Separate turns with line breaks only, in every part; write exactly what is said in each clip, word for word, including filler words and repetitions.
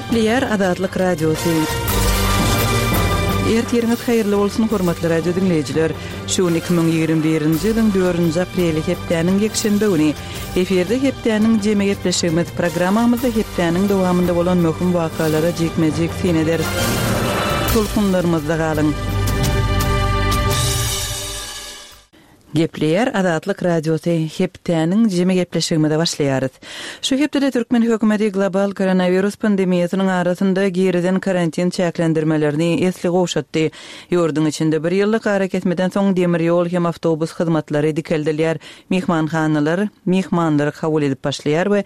Gepleýär Azatlyk Radiosy. Ertiriňiz haýyrly bolsun, hormatly radio diňleýjiler. Şu gün iki müň ýigrimi birinji ýylyň dördünji apreli hepdäniň ýekşenbe güni. Efirde hepdäniň jemi gepleşigimiz programmamyzda hepdäniň dowamynda bolan möhüm wakalara jikme-jik syn ederis. Tolkunlarymyzda galyň. Gepleýär Azatlyk Radiosy, hepdäniň jemi gepleşigimize başlaýarys. Şu hepdede türkmen hökümeti global koronawirus pandemiýasynyň arasynda girizen karantin çäklendirmelerini esli gowşatdy. Ýurduň içinde bir ýyllyk arakesmeden soň demir ýol hem awtobus hyzmatlary dikeldilýär, myhmanhanalar myhmanlary kabul edip başlaýar we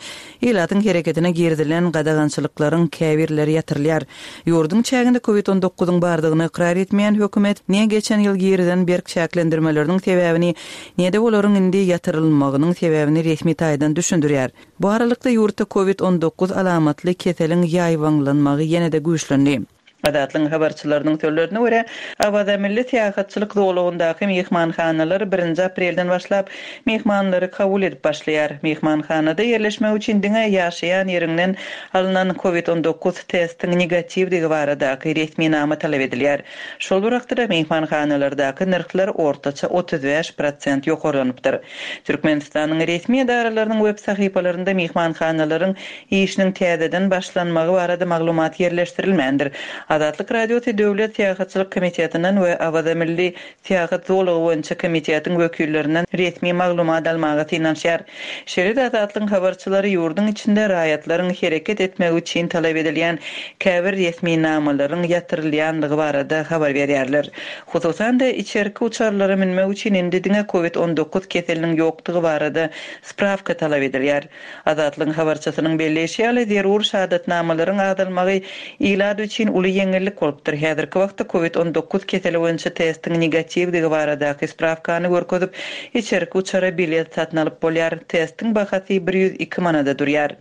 ilatyň hereketine girizilen gadagançylyklaryň käbirleri ýatyrylýar. Ýurduň çäginde covid on dokuzyň bardygyny ykrar etmeýän hökümet ne geçen ýyl girizen berk çäklendirmeleriniň sebäbini, ne-de olaryň indi ýatyrylmagynyň sebäbini resmi taýdan düşündirýär. Bu aralykda ýurtda covid on dokuz alamatly keseliň ýaýbaňlanmagy ýene-de güýçlendi. Azatlygyň habarçylarynyň sözlerine görä, Awaza milli syýahatçylyk zolagyndaky myhmanhanalar birinji aprelden başlap myhmanlary kabul edip başlaýar. Myhmanhanada ýerleşmek üçin diňe ýaşaýan ýeriňden alnan covid on dokuz testiň negatiwdigi baradaky resminama talap edilýär. Şol bir wagtda myhmanhanalardaky nyrhlar ortaça otuz bäş prosent ýokarlanypdyr. Türkmenistanyň resmi edaralarynyň web sahypalarynda myhmanhanalaryň işiniň täzeden başlanmagy barada maglumat ýerleşdirilmändir. Azatlyk Radiosy Döwlet Syýahatçylyk Komitetinden we Awaza Milli Syýahat Zolagy boýunça komitetiň wekillerinden resmi maglumat almaga synanyşýar. Şeýle-de Azatlygyň habarçylary ýurduň içinde raýatlaryň hereket etmegi üçin talap edilýän käbir resminamalaryň ýatyrylýanlygy barada habar berýärler. Hususan-da, içerki uçarlara münmek üçin indi diňe covid on dokuz keseliniň ýokdugy barada sprawka talap edilýär. Azatlygyň habarçysynyň belleýşi ýaly, zerur şahadatnamalaryň azalmagy ilat üçin uly ýeňillik bolupdyr. Häzirki wagtda covid on dokuz keseli boýunça testiň negatiwdigi baradaky sprawkany görkezip, içerki uçara bilet satyn alyp bolýar. Testiň bahasy bir ýüz iki manada durýar.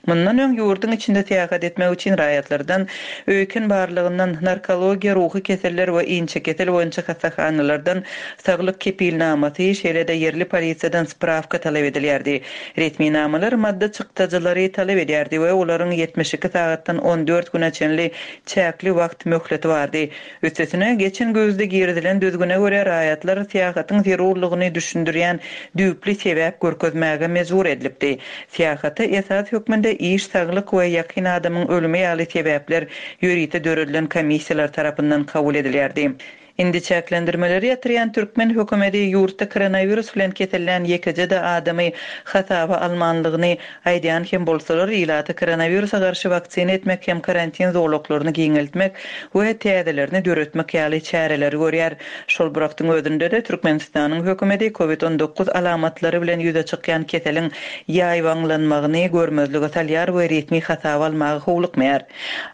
Mundan öň ýurduň içinde syýahat etmek üçin raýatlardan öýken barlygyndan, narkologiýa, ruhy keseller we inçe kesel boýunça hassahanalardan saglyk kepilnamasy, şeýle-de ýerli polisiýadan sprawka talap edilýärdi. Resminamalar maddy çykdajylary talap edýärdi we olaryň ýetmiş iki sagatdan on dört güne çenli çäkli wagt möhleti bardy. Üstesine, geçen güýzde girizilen düzgüne görä raýatlar syýahatyň zerurlygyny düşündirýän düýpli sebäp görkezmäge mejbur edilipdi. Syýahata esas hökmünde iş, saglyk we ýakyn adamyň ölümi ýaly sebäpler ýörite döredilen komissiýalar tarapyndan kabul edilýärdi. Indi çäklendirmeleri ýatyrýan türkmen hökümeti ýurtda koronawirus bilen kesellän ýekeje-de adamy hasaba almanlygyny aýdýan hem bolsalar, ilaty koronawirusa garşy waksina etmek hem karantin zolaklaryny giňeltmek we täzelerini döretmek ýaly çäreleri görýär. Şol bir wagtyň özünde-de Türkmenistanyň hökümeti covid on dokuz alamatlary bilen ýüze çykýan keseliň ýaýbaňlanmagyny görmezlige salýar we resmi hasaba almaga howlukmaýar.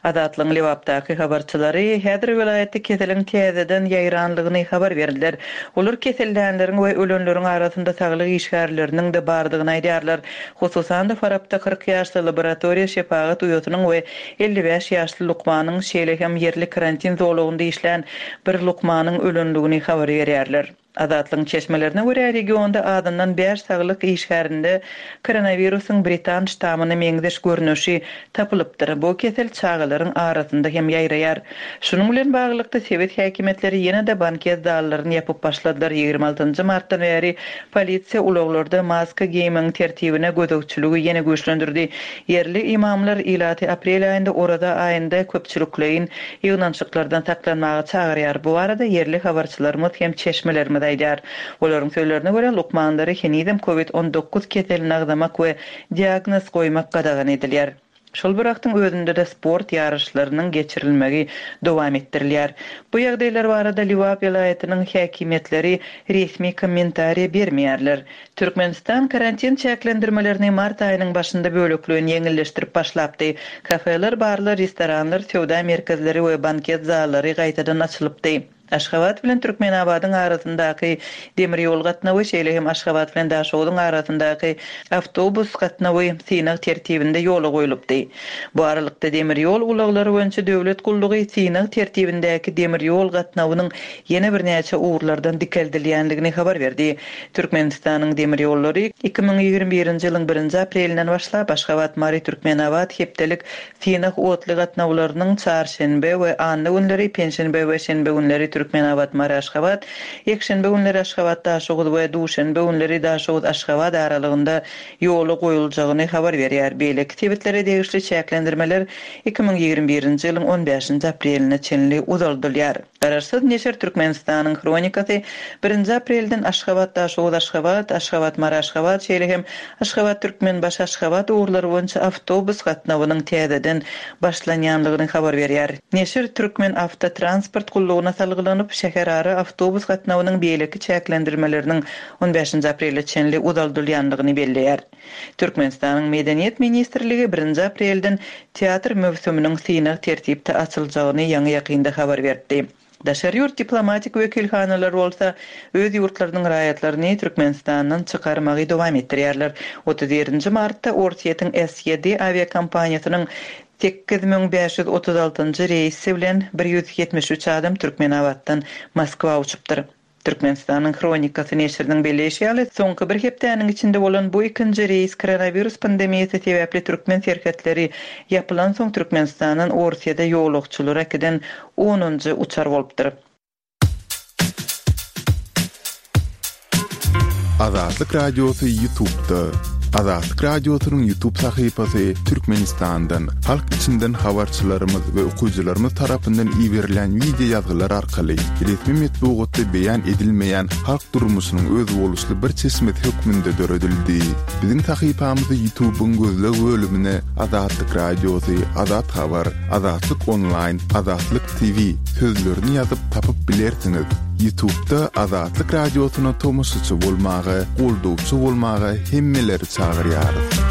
Azatlygyň Lebapdaky habarçylary häzir welaýatda keseliň täzeden ýaýranlygyny habar berdiler. Olar kesellänleriň we ölenleriň arasynda saglyk işgärleriniň-de bardygyny aýdýarlar. Hususan-da Farapda kyrk ýaşly laboratoriýa şepagat uýasynyň we elli bäş ýaşly lukmanyň, şeýle hem ýerli karantin zolagynda işlän bir lukmanyň ölenligini habar berýärler. Azatlygyň çeşmelerine görä, regionda azyndan bäş saglyk işgärinde koronawirusyň britan ştamyna meňzeş görnüşi tapylypdyr. Bu kesel çagalaryň arasynda hem ýaýraýar. Şunuň bilen baglylykda sebit häkimiýetleri ýene-de banket zallaryny ýapyp başladylar. Ýigrimi altynjy martdan bäri polisiýa ulaglarda maska geýmegiň tertibine gözegçiligi ýene güýçlendirdi. Ýerli imamlar ilaty aprel aýynda oraza aýynda köpçülikleýin ýygnanyşyklardan saklanmaga çagyrýar. Bu barada ýerli habarçylarymyz hem çeşmelerimiz aýdýar. Olaryň sözlerine görä, lukmanlary henizem covid on dokuz keselini agzamak we diagnoz goýmak gadagan edilýär. Şol bir wagtyň özünde-de sport ýaryşlarynyň geçirilmegi dowam etdirilýär. Bu ýagdaýlar barada Lebap welaýatynyň häkimiýetleri resmi kommentariýa bermeýärler. Türkmenistan karantin çäklendirmelerini mart aýynyň başynda bölekleýin ýeňilleşdirip başlapdy. Kafeler, barlar, restoranlar, söwda merkezleri we banket zallary gaýtadan açylypdy. Aşgabat bilen Türkmenabadyň arasyndaky demir ýol gatnawy, şeýle hem Aşgabat bilen Daşoguzyň arasyndaky awtobus gatnawy synag tertibinde ýola goýlupdy. Bu aralykda, demir ýol ulaglary boýunça döwlet gullugy synag tertibindäki demir ýol gatnawynyň ýene birnäçe ugurlardan dikeldilýändigini habar berdi. Türkmenistanyň demir ýollary iki müň ýigrimi birinji ýylyň birinji aprelinden başlap Aşgabat-Mary-Türkmenabat hepdelik synag otly gatnawlarynyň çarşenbe we anna günleri, penşenbe we şenbe günleri Türkmenabat-Mary-Aşgabat, ýekşenbe günleri Aşgabat-Daşoguz we duşenbe günleri Daşoguz-Aşgabat aralygynda ýola goýuljagyny habar berýär. Beýleki sebitlere degişli çäklendirmeler iki müň ýigrimi birinji ýylyň on bäşinji apreline çenli uzaldylýar. Garaşsyz neşir Türkmenistanyň Hronikasy birinji aprelden Aşgabat-Daşoguz-Aşgabat, Aşgabat-Mary-Aşgabat, şeýle hem Aşgabat-Türkmenbaşy-Aşgabat ugurlary boýunça awtobus gatnawynyň täzeden başlanýanlygyny habar berýär. Neşir Türkmen awtotransport gullugyna salgylanyp, şäherara awtobus gatnawynyň beýleki çäklendirmeleriniň on bäşinji aprele çenli uzaldylýanlygyny belleýär. Türkmenistanyň Medeniýet ministrligi birinji aprelden teatr möwsüminiň synag tertipde açyljagyny ýaňy ýakynda habar berdi. Daşary ýurt diplomatik wekilhanalar bolsa öz ýurtlarynyň raýatlaryny Türkmenistandan çykarmagy dowam etdirýärler. Otuz birinji martda Orsýetiň S Y D awiakompaniýasynyň sekiz müň bäş ýüz otuz altynjy reýsi bilen bir ýüz ýetmiş üç adam Türkmenabatdan Moskwa uçupdyr. Türkmenistanyň Hronikasy neşiriniň belleýşi ýaly, soňky bir hepdäniň içinde bolan bu ikinji reýs koronawirus pandemiýasy sebäpli türkmen serhetleri ýapylan soň Türkmenistandan Orsýete ýolagçylara giden onunjy uçar bolupdyr.
Azatlyk Radiosy YouTube'da. Azatlyk Radiosynyň YouTube sahypasy Türkmenistandan, halk içinden habarçylarymyz we okyjylarymyz tarapyndan iberilen video ýazgylar arkaly resmi metbugatda beýan edilmeýän halk durmuşynyň özboluşly bir çeşmesi hökmünde döredildi. Biziň sahypamyzy YouTube'yň gözleg bölümine Azatlyk Radiosy, Azat Habar, Azatlyk Online, Azatlyk T V sözlerini ýazyp tapyp bilersiňiz. YouTube'da Azatlyk Radiosyna tomaşaçy bolmaga, goldawçy bolmaga hemmeleri çagyrýarys.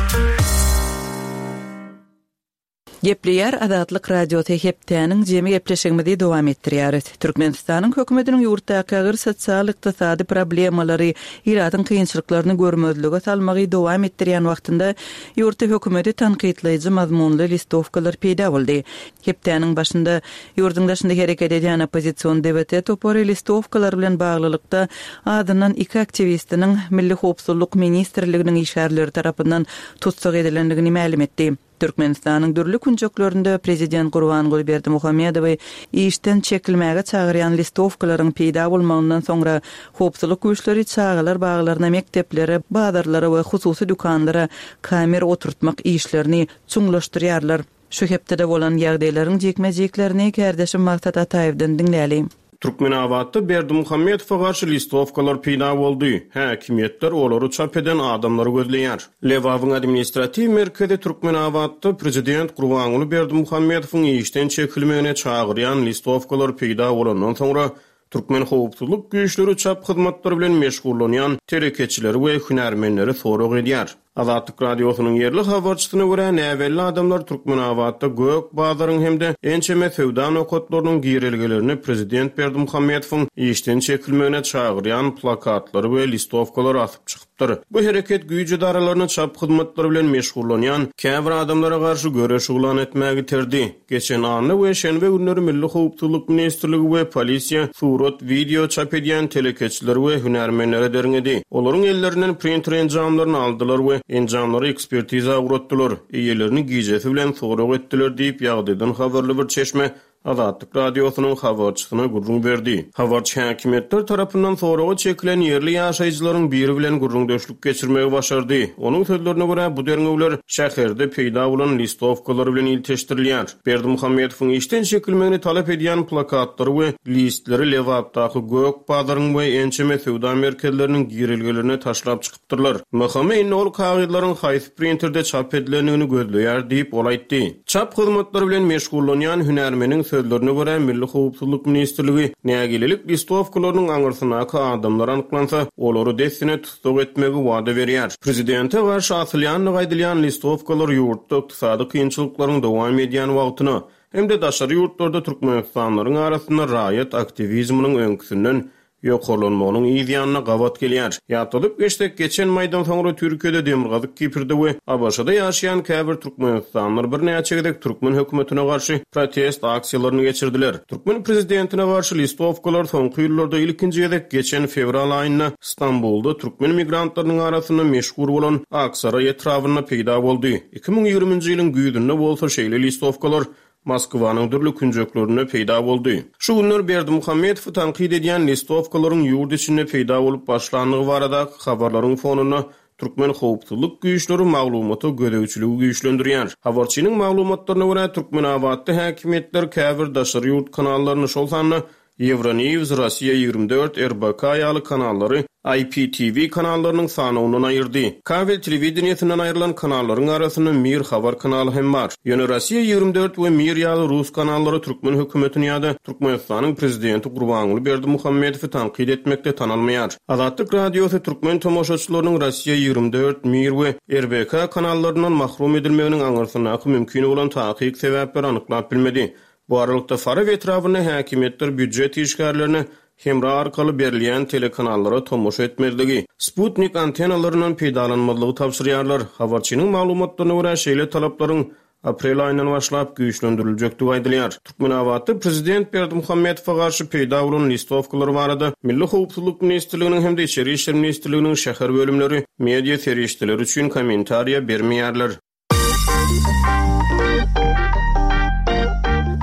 Gepleýär Azatlyk Radiosy hepdäniň jemi gepleşigimizi dowam etdirýäris. Türkmenistanyň hökümetiniň ýurtdaky agyr sosial-ykdysady problemalary, ilatyň kynçylyklaryny görmezlige salmagy dowam etdirýän wagtynda ýurtda hökümeti tankytlaýjy mazmunly listowkalar peýda boldy. Hepdäniň başynda ýurduň daşynda hereket edýän oppozision D V T topary listowkalar bilen baglylykda adyndan iki aktiwistiniň Milli Howpsuzlyk Ministrliginiň işgärleri tarapyndan tussag edilendigini mälim etdi. Türkmenistanyň dürli künjeklerinde Prezident Gurbanguly Berdimuhamedowy işden çekilmäge çagyrýan listowkalaryň peýda bolmagyndan soňra howpsuzlyk güýçleri çagalar baglaryna, mekdeplere, bazarlara we hususy dükanlara kamera oturtmak işlerini çuňlaşdyrýarlar. Şu hepdede bolan ýagdaýlaryň jikme-jiklerini kärdeşim Maksat Ataýewden diňläli.
Türkmenabatda Berdimuhamedowa garşy listowkalar peýda boldy. Häkimiýetler olary çap eden adamlary gözleýär. Lebabyň administratiw merkezi Türkmenabatda Prezident Gurbanguly Berdimuhamedowyň işden çekilmegine çagyrýan listowkalar peýda bolandan soňra Türkmen howpsuzlyk güýçleri çap hyzmatlary bilen meşgullanýan telekeçileri we hünärmenleri sorag edýär. Azatlyk Radiosynyň ýerli habarçysyna görä näbelli adamlar Türkmenabatda Gök bazaryň hem-de ençeme söwda nokatlarynyň girelgelerini Prezident Berdimuhamedowyň işden çekilmegine çagyrýan plakatlary we listowkalary asyp çykypdyr. Bu hereket güýç edaralaryny çap hyzmatlary bilen meşgullanýan käbir adamlara garşy göreş yglan etmäge iterdi. Geçen anna we şenbe günleri Milli Howpsuzlyk Ministrligi we polisiýa surat, video çap edýän telekeçileri we hünärmenlere derňedi. Olaryň ellerinden printer enjamlaryny aldylar we enjamlary ekspertiza uğratdylar. Eýelerini gijesi bilen sorag etdiler diýip ýagdaýdan habarly bir çeşme Azatlyk Radiosynyň habarçysyna gürrüň berdi. Habarçy häkimiýetler tarapyndan soraga çekilen ýerli ýaşaýjylaryň biri bilen gürrüňdeşlik geçirmegi başardy. Onuň sözlerine görä bu derňewler şäherde peýda bolan listowkalar bilen ilteşdirilýär. Berdimuhamedowyň işden çekilmegini talap edýän plakatlary we listleri Lebapdaky Gök bazaryň we ençeme söwda merkezleriniň girelgelerine taşlap çykypdyrlar. Mahama indi ol kagyzlaryň haýsy printerde çap edilendigini gözleýär diýip ol aýtdy. Çap hyzmatlary bilen meşgullanýan hünärmeniň sözlerine görä Milli Howpsuzlyk Ministrligi nägilelik listowkalarynyň aňyrsyndaky adamlar anyklansa, olary dessine tussag etmegi wada berýär. Prezidente garşy asylýandygy aýdylýan listowkalar ýurtda ykdysady kynçylyklaryň dowam edýän wagtyna, hem-de daşary ýurtlarda türkmenistanlylaryň arasynda raýat aktiwizminiň öňküsinden ýokarlanmagynyň yz ýanyna gabat gelýär. Ýatladyp geçsek, geçen maýdan soňra Türkiýede Demirgazyk Kiprde we ABŞ-da ýaşaýan käbir türkmenistanlylar birnäçe gezek türkmen hökümetine garşy protest aksiýalaryny geçirdiler. Türkmen prezidentine garşy listowkalar soňky ýyllarda ilkinji gezek geçen fewral aýynda Stambulda türkmen migrantlarynyň arasynda meşhur bolan Aksaray etrabynda peýda boldy. Iki müň ýigriminji ýylyň güýzünde bolsa şeýle listowkalar Moskwanyň dürli künjeklerinde peýda boldy. Şu günler Berdimuhamedowy tankyt edýän listowkalaryň ýurt içinde peýda bolup başlandygy baradaky habarlaryň fonunda türkmen howpsuzlyk güýçleri maglumata gözegçiligi güýçlendirýär. Habarçynyň maglumatlaryna görä Türkmenabatda häkimiýetler käbir daşary ýurt kanallaryny, şol sanda Euronews, Russiya ýigrimi dört, R B K ýaly kanallary I P T V kanallarynyň sanawyndan aýyrdy. Kabel telewideniýesinden aýrylan kanallaryň arasynda Mir habar kanaly hem bar. Ýöne Russiya ýigrimi dört we Mir ýaly rus kanallary türkmen hökümetini ýa-da Türkmenistanyň prezidenti Gurbanguly Berdimuhamedowy tankyt etmekde tanalmaýar. Azatlyk radiosy türkmen tomaşaçylarynyň Russiya ýigrimi dört, Mir we R B K kanallaryndan mahrum edilmeginiň aňyrsyndaky mümkin bolan takyk sebäpleri anyklap bilmedi. Bu aralykda Farap etrabynda häkimiýetler býujet işgärlerine hemra arkaly berilýän telekanallara tomaşa etmezligi, Sputnik antenalaryndan peýdalanmazlygy tabşyrýarlar. Habarçynyň maglumatlaryna görä şeýle talaplaryň aprel aýyndan başlap güýçlendiriljekdigi aýdylýar. Türkmenabatda prezident Berdimuhamedowa garşy peýda bolan listowkalar barada Milli Howpsuzlyk Ministrliginiň hem-de Içeri İşler Ministrliginiň şäher bölümleri media serişdeleri üçin kommentariýa bermeýärler.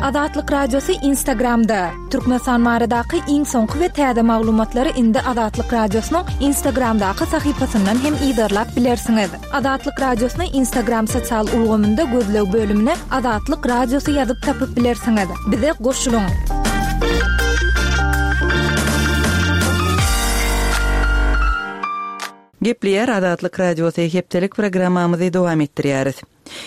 Azatlyk Radiosy Instagramda. Türkmenistan baradaky iň soňky we täze maglumatlary indi Azatlyk Radiosynyň Instagramdaky sahypasyndan hem yzarlap bilersiňiz. Azatlyk Radiosyny Instagram sosial ulgamynda gözleg bölümine Azatlyk Radiosy ýazyp tapyp bilersiňiz. Bize goşulyň.
Gepleýär Azatlyk Radiosy hepdelik programmamyzy dowam etdirýäris.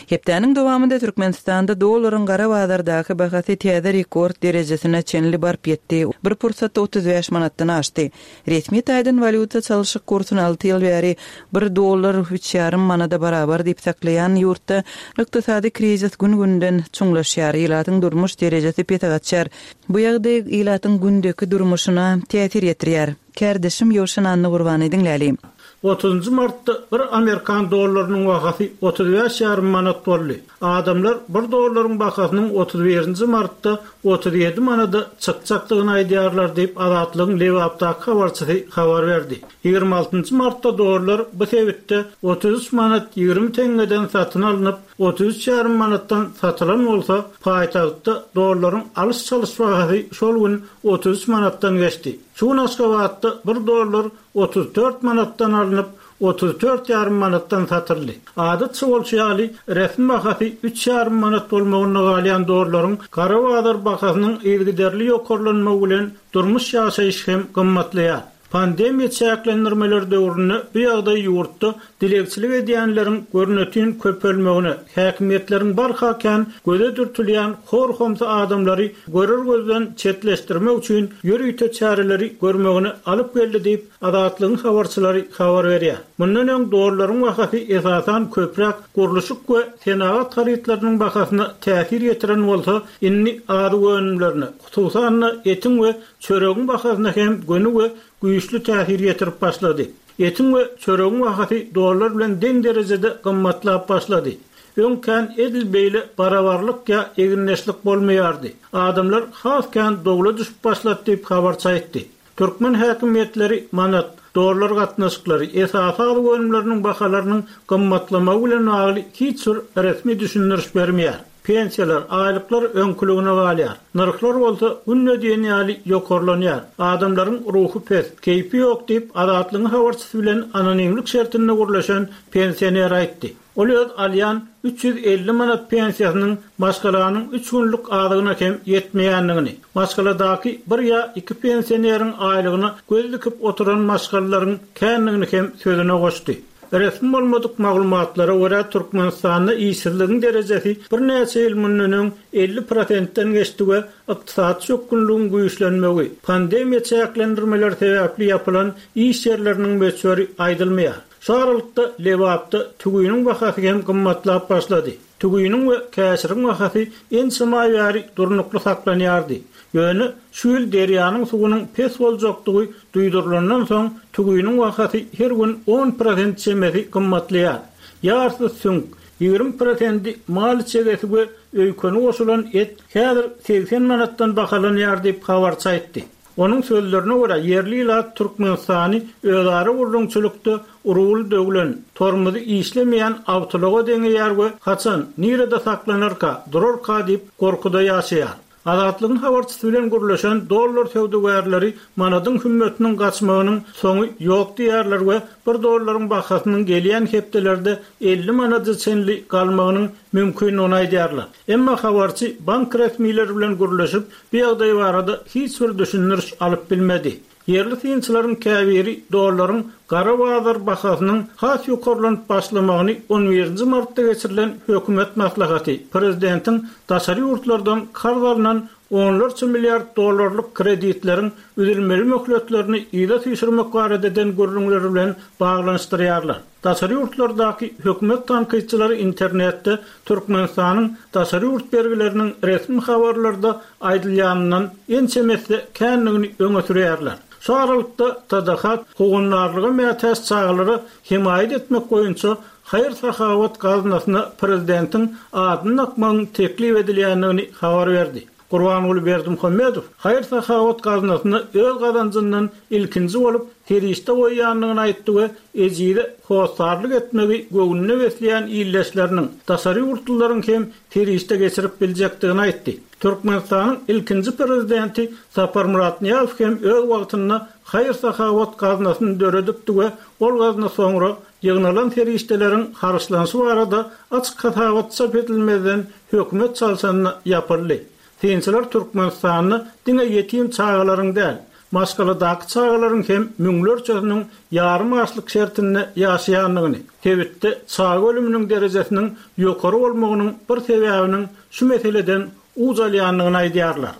Hepdäniň dowamynda Türkmenistanda dollaryň gara bazardaky bahasy täze rekord derejesine çenli baryp ýetdi. Bir pursatda otuz bäş manatdan aşdy. Resmi taýdan walýuta çalşyk kursuny alty ýyl bäri bir dollar üç ýarym manada barabar diýip saklaýan ýurtda ykdysady krizis gün-günden çuňlaşýar. Ilatyň durmuş derejesi pese gaçýar. Bu ýagdaý ilatyň gündeki durmuşyna täsir ýetirýär. Kärdeşim Ýowşan Anna Gurbany diňläli.
Otuzunjy martda bir Amerikan dollarynyň bahasy otuz bäş ýarym manat boldy. Adamlar bir dollaryň bahasynyň otuz birinji martda otuz ýedi manada çykjakdygyny aýdýarlar diýip Azatlygyň Lebapdaky habarçysy habar berdi. Ýigrimi altynjy martda dollar bu sebitde otuz üç manat ýigrimi teňňeden satyn alnyp, otuz üç ýarym manatdan satylan bolsa, paýtagtda dollaryň alyş-çalyş bahasy şol gün otuz üç manatdan geçdi. Şu gün Aşgabatda bir dollar otuz dört manatdan alnyp, otuz dört ýarym manatdan satyldy. Adatça bolşy ýaly resmi bahasy üç ýarym manat bolmagyna galýan dollaryň gara bazar bahasynyň yzygiderli ýokarlanmagy bilen durmuş ýaşaýyş hem gymmatlaýar. Pandemiýa çäklendirmeleri döwründe bu ýagdaý ýurtda dilegçilik edýänleriň görnütin köpelmegine, häkimiýetleriň barha kän göze dürtülýän hor-homsy adamlary görür gözden çetleşdirmek üçin ýörite çäreleri görmegine alyp geldi diýip Azatlygyň habarçylary habar berýär. Mundan öň dollaryň bahasy esasan köpräk gurluşyk we senagat harytlarynyň bahasyna täsir ýetiren bolsa, indi azyk önümlerine, hususan-da etiň we çöregiň bahasyna hem göni we güýçli täsir ýetirip başlady. Etiň we çöregiň bahasy dollar bilen deň derejede gymmatlap başlady. Öň kän edil beýle barabarlyk ýa eginleşlik bolmaýardy. Adamlar has kän dowla düşüp başlady diýip habarçy aýtdy. Türkmen häkimiýetleri manat, dollar gatnaşyklary, esasy azyk önümleriniň bahalarynyň gymmatlamagy bilen bagly hiç bir resmi düşündiriş bermeýär. Pensiýalar, aýlyklar öňküligine galýar. Nyrhlar bolsa günde diýen ýaly ýokarlanýar. Adamlaryň ruhy pes, keýpi ýok diýip Azatlygyň habarçysy bilen anonimlik şertinde gürleşen pensioner aýtdy. Ol öz alýan üç ýüz elli manat pensiýasynyň maşgalanyň üç günlük azygyna hem ýetmeýändigini, maşgaladaky bir ýa iki pensioneriň aýlygyna göz dikip oturan maşgalalaryň kändigini hem sözüne goşdy. Resmi bolmadyk maglumatlara görä Türkmenistanda işsizligiň derejesi birnäçe ýyl mundan öň elli prosentden geçdi we ykdysady çökgünligiň güýçlenmegi, pandemiýa çäklendirmeleri sebäpli ýapylan iş ýerleriniň möçberi aýdylmaýar. Şu aralykda Lebapda tüwiniň bahasy hem gymmatlap başlady. Tüwiniň we käşiriň bahasy ençeme aý bäri durnukly saklanýardy. Ýöne şu ýyl derýanyň suwunyň pes boljakdygy duýdurylandan soň tüwiniň bahasy her gün on prosent çemesi gymmatlaýar. Ýarysy süňk, ýigrimi prosendi mal içegesi we öýkeni goşulan et häzir segsen manatdan bahalanýar diýip habarçy aýtdy. Onuň sözlerine görä ýerli ilat Türkmenistany özara gurrumçylykda urul döwlen, tormuzy işlemeýän awtolaga deňeýär we haçan nirede saklanarka, durarka diýip gorkuda ýaşaýar. Azatlygyň habarçysy bilen gürleşen dollar söwdagärleri manadyň hümmetiniň gaçmagynyň soňy ýok diýerler we bir dollaryň bahasynyň gelýän hepdelerde elli manada çenli galmagynyň mümkinligini aýdýarlar. Emma habarçy bank resmileri bilen gürleşip, bu ýagdaý barada hiç bir düşündiriş alyp bilmedi. Ýerli synçylaryň käbiri dollaryň gara bazar bahasynyň has ýokarlanyp başlamagyny on birinji martda geçirilen hökümet maslahaty, prezidentiň daşary ýurtlardan karz alynan onlarça milliard dollarlyk kreditleriň üzülmeli möhletlerini yza süýşürmek barada eden gürrüňleri bilen baglanyşdyrýarlar. Daşary ýurtlardaky hökümet tankytçylary internetde Türkmenistanyň daşary ýurt bergileriniň resmi habarlarda aýdylýanyndan ençemesi känligini öňe sürýärler. Şu aralykda T D H howandarlyga mätäç çagalara hemaýat etmek boýunça haýyr-sahawat gaznasyna prezidentiň adyny dakmagyň teklip edilýändigini habar berdi. Gurbanguly Berdimuhamedow haýyr-sahawat gaznasyna öz gazanjyndan ilkinji bolup serişde goýýandygyny aýtdy we ejize hossarlyk etmegi göwnüne besleýän illeşleriniň daşary ýurtlylaryň hem serişde geçirip biljekdigini aýtdy. Türkmenistanyň ilkinji prezidenti Saparmyrat Nyýazow hem öz wagtynda haýyr-sahawat gaznasyny döredipdi we ol gazna soňra ýygnalan serişdeleriň harçlanyşy barada açyk hasabat çap edilmezden hökümet çalşanyna ýapyldy. Synçylar Türkmenistanda diňe ýetim çagalaryň däl, maşgaladaky çagalaryň hem müňlerçesiniň ýarym açlyk şertinde ýaşaýandygyny, sebitde çaga ölüminiň derejesiniň ýokary bolmagynyň bir sebäbiniň şu meseleden uç alýandygyny aýdýarlar.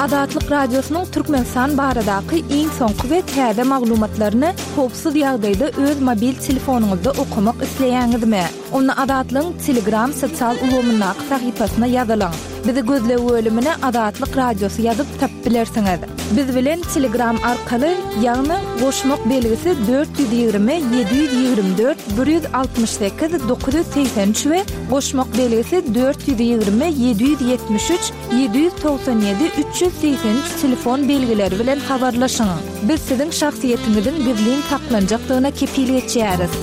Azatlyk Radiosynyň Türkmenistan baradaky iň soňky we täze maglumatlaryny howpsuz ýagdaýda öz mobil telefonyňyzda okamak isleýäňizmi? Onda Azatlygyň Telegram sosial ulgamyndaky sahypasyna ýazylyň. Bizi gözleg bölümine Azatlyk Radiosy ýazyp tapyp bilersiňiz. Biz bilen Telegram arkaly, ýagny goşmak belgisi dört ýüz ýigrimi, ýedi ýüz ýigrimi dört, bir ýüz altmyş sekiz, dokuz ýüz segsen üç we goşmak belgisi dört ýüz ýigrimi, ýedi ýüz ýetmiş üç, ýedi ýüz togsan ýedi, üç ýüz segsen üç telefon belgileri bilen habarlaşyň. Biz siziň şahsyýetiňiziň gizlin saklanjakdygyna kepil geçýäris.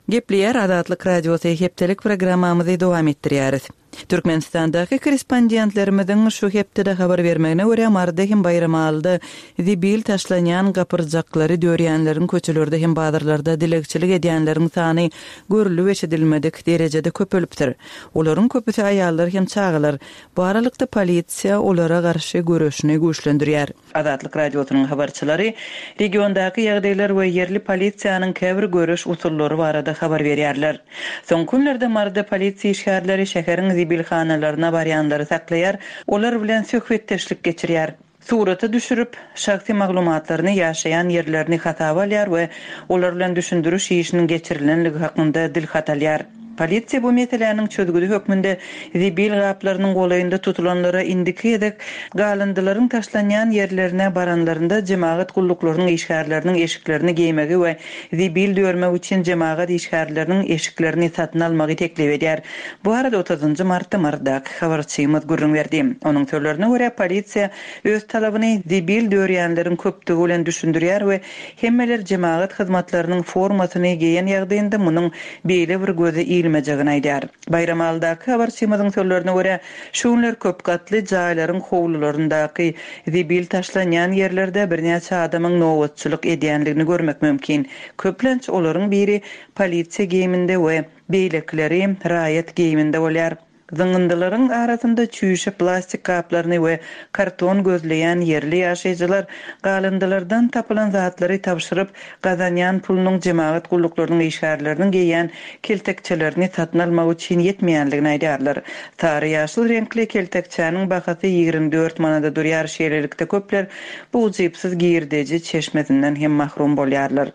Gepleýär Azatlyk Radiosy hepdelik programmamyzy dowam etdirýäris. Türkmenistandaky korrespondentlerimiziň şu hepdede habar bermegine görä Maryda hem Baýramalyda zibil taşlanýan gapyrjaklary dörýänleriň köçelerde hem bazarlarda dilegçilik edýänleriň sany görülip eşidilmedik derejede köpelipdir. Olaryň köpüsi aýallar hem çagalar. Bu aralykda polisiýa olara garşy göreşini güýçlendirýär. Azatlyk Radiosynyň habarçylary regiondaky ýagdaýlar we ýerli polisiýanyň käbir göreş usullary barada habar berýärler. Soňky günlerde Maryda polisiýa işgärleri şäheriň zibilhanalaryna barýanlary saklaýar, olar bilen söhbetdeşlik geçirýär. Surata düşürip, şahsy maglumatlaryny ýaşaýan ýerlerini hasaba alýar we olar bilen düşündiriş işiniň geçirilenligi hakynda dil hat alýar. Polisiýa bu meseläniň çözgüdi hökmünde zibil gaplarynyň golaýynda tutulanlara indiki gezek galyndylaryň taşlanýan ýerlerine baranlarynda jemagat gulluklarynyň işgärleriniň eşiklerini geýmegi we zibil dörmek üçin jemagat işgärleriniň eşiklerini satyn almagy teklip edýär. Bu arada otuzynjy martda Marydaky habarçymyz gürrüň berdi. Onuň sözlerine görä polisiýa öz talabyny zibil dörýänleriň köpdügi bilen düşündirýär we hemmeler jemagat hyzmatlarynyň formasyny geýen ýagdaýynda munuň beýle bir göze ilmejegini aýdar. Baýramalydaky habarçymyzyň sözlerine görä, şu günler köp gatly jaýlaryň howlularyndaky zibil taşlanýan ýerlerde birnäçe adamyň nobatçylyk edýänligini görmek mümkin. Köplenç olaryň biri polisiýa geýiminde we beýlekileri raýat geýiminde bolýar. Zyňyndylaryň arasynda çüýşe plastik gaplaryny we karton gözleýän ýerli ýaşaýjylar galyndylardan tapylan zatlary tabşyryp, gazanýan pulunyň jemagat gulluklarynyň işgärleriniň geýýän keltekçelerini satyn almak üçin ýetmeýändigini aýdýarlar. Sary ýaşyl reňkli keltekçäniň bahasy ýigrimi dört manada durýar, şeýlelikde köpler bu ujypsyz girdeji çeşmesinden hem mahrum bolýarlar.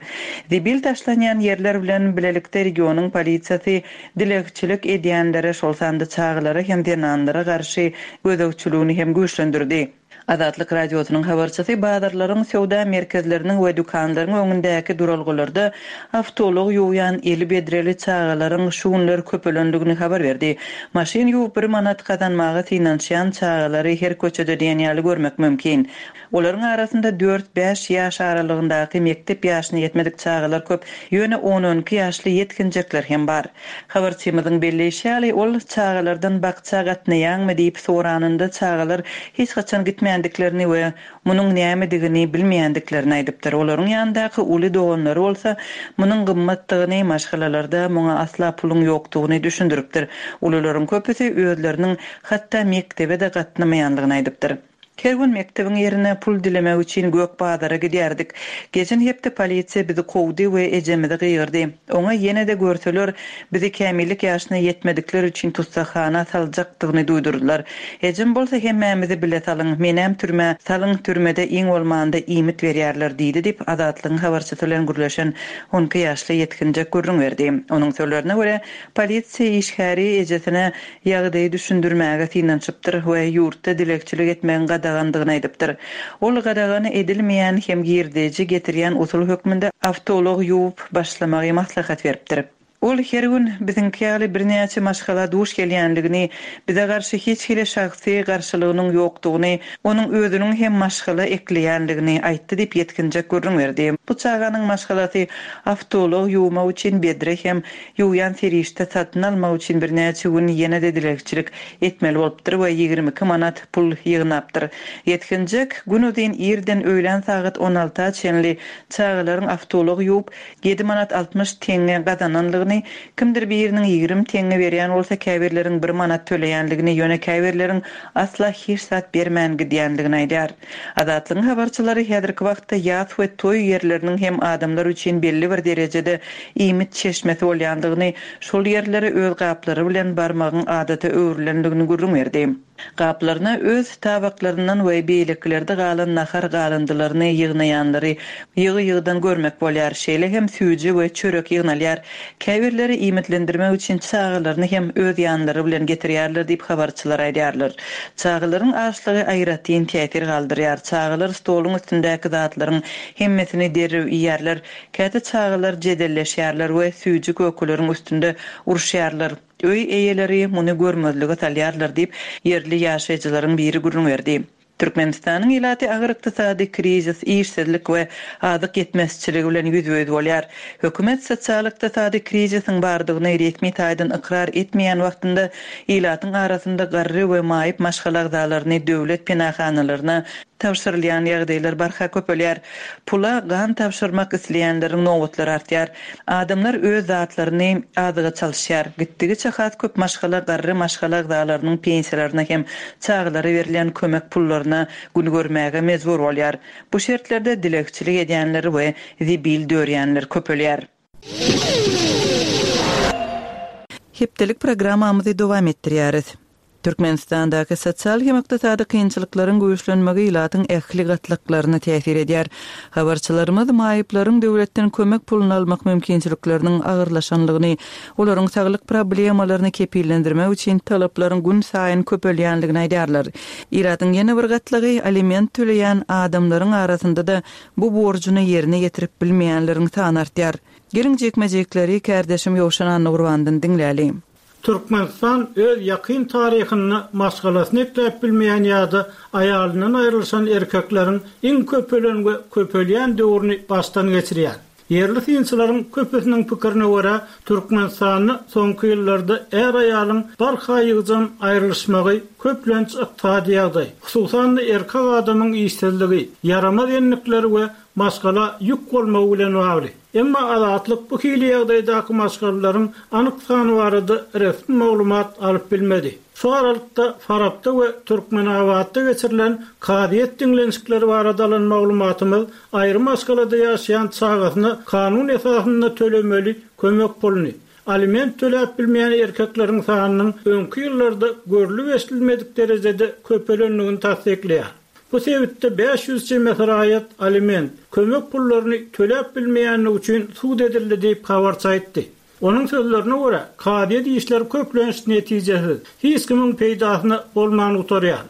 Zibil taşlanýan ýerler bilen bilelikde regionyň polisiýasy dilegçilik edýänlere, şol sanda çagalara hem zenanlara garşy gözegçiligini hem güýçlendirdi. Azatlyk Radiosynyň habarçysy bazarlaryň, söwda merkezleriniň we dükanlaryň öňündäki duralgalarda awtoulag ýuwýan eli bedreli çagalaryň şu günler köpelendigini habar berdi. Maşyn ýuwup bir manat gazanmaga synanyşýan çagalary her köçede diýen ýaly görmek mümkin. Olaryň arasynda dört-bäş ýaş aralygyndaky mekdep ýaşyna ýetmedik çagalar köp, ýöne on-on iki ýaşly ýetginjekler hem bar. Habarçymyzyň belleýşi ýaly, ol çagalardan bakja gatnaýaňmy diýip soranynda çagalar hiç haçan gitmändiklerini we munuň nämedigini bilmeýändiklerini aýdypdyr. Olaryň ýanyndaky uly doganlary bolsa munuň gymmatdygyny, maşgalalarda muňa asla puluň ýokdugyny düşündiripdir. Ulularyň köpüsi özleriniň hatda mekdebe-de gatnamaýandygyny aýdypdyr. Her gün mekdebiň ýerine pul dilemek üçin gök bazara gidýärdik. Geçen hepde polisiýa bizi kowdy we ejemizi gygyrdy. Oňa ýene-de görseler, bizi kämillik ýaşyna ýetmedikler üçin tussakhana saljakdygyny duýdurdylar. Ejem bolsa hemmämizi bile salyň, menem türmä salyň, türmede iň bolmanda iýmit berýärler diýdi diýip, Azatlygyň habarçysy bilen gürleşen on iki ýaşly ýetginjek gürrüň berdi. Onuň sözlerine görä, polisiýa işgäri ejesine ýagdaýy düşündirmäge synanyşypdyr we ýurtda dilegçilik etmegiň gadagandygyny aýdypdyr. Ol gadagany edilmeýän hem girdeji getirýän usul hökmünde awtoulag ýuwup başlamagy maslahat beripdir. Ol her gün biziňki ýaly birnäçe maşgala duş gelýänligini, bize garşy hiç hili şahsy garşylygynyň ýokdugyny, onuň özüniň hem maşgala ekleýänligini aýtdy diýip ýetginjek gürrüň berdi. Bu çaganyň maşgalasy awtoulag ýuwmak üçin bedre hem ýuwýan serişde satyn almak üçin birnäçe gün ýene-de dilegçilik etmeli bolupdyr we ýigrimi iki manat pul ýygnapdyr. Ýetginjek gün uzyn irden öýlän sagat on alta çenli çagalaryň awtoulag ýuwup ýedi manat altmyş teňňe gazananlygyny, kimdir biriniň ýigrimi teňňe berýän bolsa käbirleriň bir manat töleýänligini, ýöne käbirleriň asla hiç zat bermän gidýänligini aýdýar. Azatlygyň habarçylary häzirki wagtda ýas we toý ýerleriniň hem adamlar üçin belli bir derejede iýmit çeşmesi bolýandygyny, şol ýerlere öz gaplary bilen barmagyň adata öwrülendigini gürrüň berdi. Gaplaryna öz tabaklaryndan we beýlekilerde galan nahar galyndylaryny ýygnaýanlary ýygy-ýygydan görmek bolýar. Şeýle hem süýji we çörek ýygnalýar. Käbirleri iýmitlendirmek üçin çagalaryny hem öz ýanlary bilen getirýärler diýip habarçylar aýdýarlar. Çagalaryň açlygy aýratyn täsir galdyrýar. Çagalar stoluň üstündäki zatlaryň hemmesini derrew iýerler. Käte çagalar jedelleşýärler we süýji kökeleriň üstünde uruşýarlar. Öý eýeleri muny görmezlige salýarlar diýip ýerli ýaşaýjylaryň biri gürrüň berdi. Türkmenistanyň ilaty agyr ykdysady krizis, işsizlik we azyk ýetmezçiligi bilen ýüzbe-ýüz bolýar. Hökümet sosial ykdysady krizisiň bardygyny resmi taýdan ykrar etmeýän wagtynda ilatyň arasynda garry we maýyp maşgala agzalaryny döwlet penahanalaryna tabşyrylýan ýagdaýlar barha köpelýär. Pula gan tabşyrmak isleýänleriň nobatlary artýar. Adamlar öz zatlaryny azyga çalyşýar. Gitdigiçe has köp maşgala garry maşgala agzalarynyň pensiýalaryna hem çagalara berilýän kömek pullaryna gün görmäge mejbur bolýar. Bu şertlerde dilegçilik edýänler we zibil dörýänler köpelýär. Hepdelik programmamyzy dowam etdirýäris. Türkmenistandaky sosial hem ykdysady kynçylyklaryň güýçlenmegi ilatyň ähli gatlaklaryna täsir edýär. Habarçylarymyz maýyplaryň döwletden kömek puluny almak mümkinçilikleriniň agyrlaşanlygyny, olaryň saglyk problemalaryny kepillendirmek üçin talaplaryň gün saýyn köpelýänligini aýdýarlar. Ilatyň ýene bir gatlagy aliment töleýän adamlaryň arasynda da bu borjuny ýerine ýetirip bilmeýänleriň sany artýar. Geliň jekme-jekleri kärdeşim Ýowşan Annagurbandan diňläli.
Türkmenistan öz ýakyn taryhyny maşgalasyny ekläp bilmeýän ýa-da aýalyndan aýrylyşan erkekleriň iň köpelen we köpelýän döwrüni başdan geçirýär. Ýerli synçylaryň köpüsiniň pikirine görä, Türkmenistanda soňky ýyllarda är-aýalyň barha ýygjam aýrylyşmagy köplenç ykdysady ýagdaý, hususan-da erkek adamyň işsizligi, ýaramaz endikleri we maşgala ýük bolmagy bilen bagly. Emma Azatlyk bu hili ýagdaýdaky maşgalalaryň anyk sany barada resmi maglumat alyp bilmedi. Şu aralykda Farapda we Türkmenabatda geçirilen kazyýet diňlenişikleri barada alan maglumatymyz aýry maşgalada ýaşaýan çagasyna kanun esasynda tölemeli kömek puluny, aliment töläp bilmeýän erkekleriň sanynyň öňki ýyllarda görlüp-eşidilmedik derejede köpelendigini tassyklaýar. Bu sebitde bäş ýüz çemesi raýat aliment, kömek pullaryny töläp bilmeýändigi üçin sud edildi diýip, habarçy aýtdy. Onuň sözlerine görä, kazyýet işleri köplenç netijesiz, hiç kimiň peýdasyna bolman gutarýar.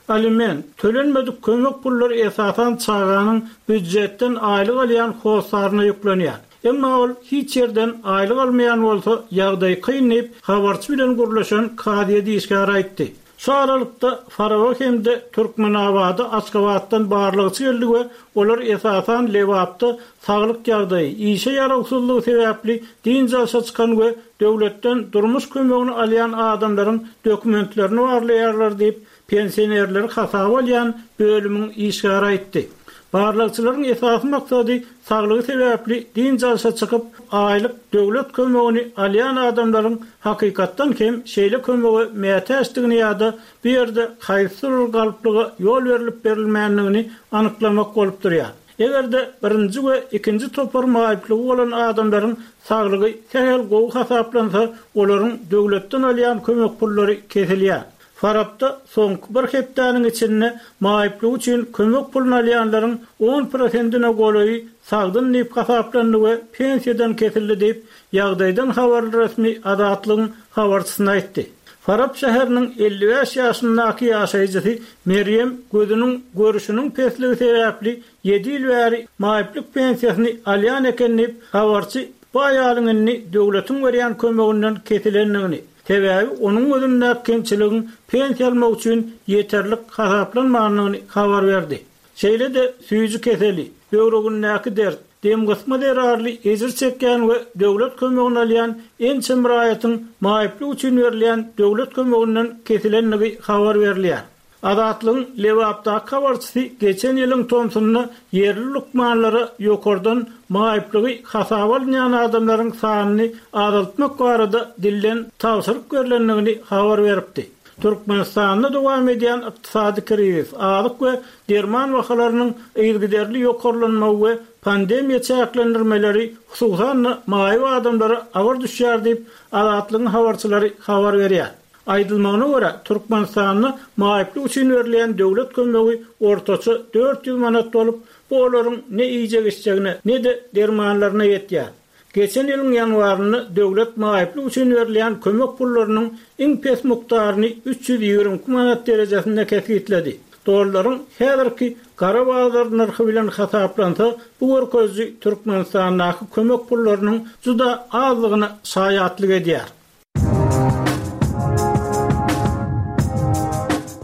Aliment, tölenmedik kömek pullary esasan çaganyň býujetden aýlyk alýan hossaryna ýüklenýär. Emma ol hiç ýerden aýlyk almaýan bolsa, ýagdaý kyn diýip, habarçy bilen gürleşen kazyýet işgäri aýtdy. Şu aralykda, Faraba hem-de Türkmenabada Aşgabatdan barlagçy geldi we olar esasan Lebapda saglyk ýagdaýy, işe ýarawsyzlygy sebäpli dynç alşa çykan we döwletden durmuş kömegini alýan adamlaryň dokumentlerini barlaýarlar diýip, pensionerleri hasaba alýan bölümiň işgäri aýtdy. Barlagçylaryň esasy maksady saglygy sebäpli dynç alşa çykyp, aýlyk döwlet kömegini alýan adamlaryň hakykatdan hem şeýle kömege mätäçdigini ýa-da bu ýerde haýsydyr bir galplyga ýol berlip-berilmändigini anyklamak bolup durýar. Eger-de birinji we ikinji topar maýyplygy bolan adamlaryň saglygy sähel gowy hasaplansa, olaryň döwletden alýan kömek pullary kesilýär. Farapda soňky bir hepdäniň içinde maýyplygy üçin kömek puluny alýanlaryň on prosentine golaýy sagdyn diýip hasaplandy we pensiýadan kesildi diýip, ýagdaýdan habarly resmi Azatlygyň habarçysyna aýtdy. Farap şäheriniň elli bäş ýaşyndaky ýaşaýjysy Merýem gözüniň görüşiniň pesligi sebäpli ýedi ýyl bäri maýyplyk pensiýasyny alýan eken diýip, habarçy bu aýalyň indi döwletiň berýän kömeginden kesilendigini, sebäbi onuň gözündäki kemçiligiň pensiýa almak üçin ýeterlik hasaplanmandygyny habar berdi. Şeýle-de süýji keseli, böwregindäki dert, demgysma zerarly ejir çekýän we döwlet kömegini alýan ençeme raýatyň maýyplyk üçin berilýän döwlet kömeginden kesilendigi habar berilýär. Azatlygyň Lebapdaky habarçysy geçen ýylyň tomsunda ýerli lukmanlara ýokardan maýyplygy hasaba alynýan adamlaryň sanyny azaltmak barada dilden tabşyryk berlendigini habar beripdi. Türkmenistanda dowam edýän ykdysady krizis, azyk we derman bahalarynyň yzygiderli ýokarlanmagy we pandemiýa çäklendirmeleri hususan-da maýyp adamlara agyr düşýär diýip, Azatlygyň habarçylary habar berýär. Aýdylmagyna görä, Türkmenistanda maýyplyk üçin berilýän döwlet kömegi ortaça dört ýüz manat bolup, bu olaryň ne iýjek-içjegine, ne-de dermanlaryna ýetýär. Geçen ýylyň ýanwarynda döwlet maýyplyk üçin berilýän kömek pullarynyň iň pes mukdaryny üç ýüz ýigrimi iki manat derejesinde kesgitledi. Dollaryň häzirki gara bazar nyrhy bilen hasaplansa, bu görkeziji Türkmenistandaky kömek pullarynyň juda azlygyna şaýatlyk edýär.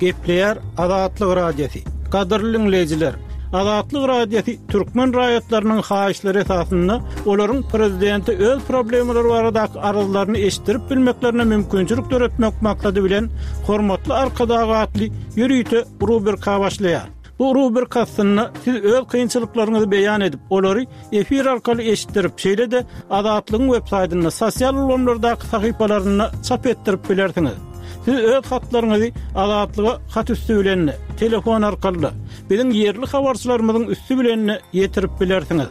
Gepleýär Azatlyk Radiosy. Gadyrly diňleýjiler, Azatlyk Radiosy türkmen raýatlarynyň haýyşlary esasynda olaryň prezidente öz problemalary baradaky arzlaryny eşitdirip bilmeklerine mümkinçilik döretmek maksady bilen Hormatly Arkadag atly ýörite rubrika başlaýar. Bu rubrika astynda siz öz kynçylyklaryňyzy beýan edip, olary efir arkaly eşitdirip, şeýle-de Azatlygyň web saýtynda, sosial ulgamlardaky sahypalarynda çap etdirip bilersiňiz. Siz öz hatlaryňyzy Azatlyga hat üsti bilen, telefon arkaly, biziň ýerli habarçylarymyzyň üsti bilen ýetirip bilersiňiz.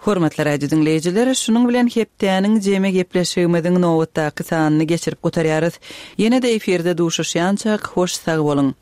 Hormatly radio diňleýjiler, şunuň bilen hepdäniň jemi gepleşigimiziň nobatdaky sanyny geçirip gutarýarys. Ýene-de efirde duşuşýançak hoş sag boluň.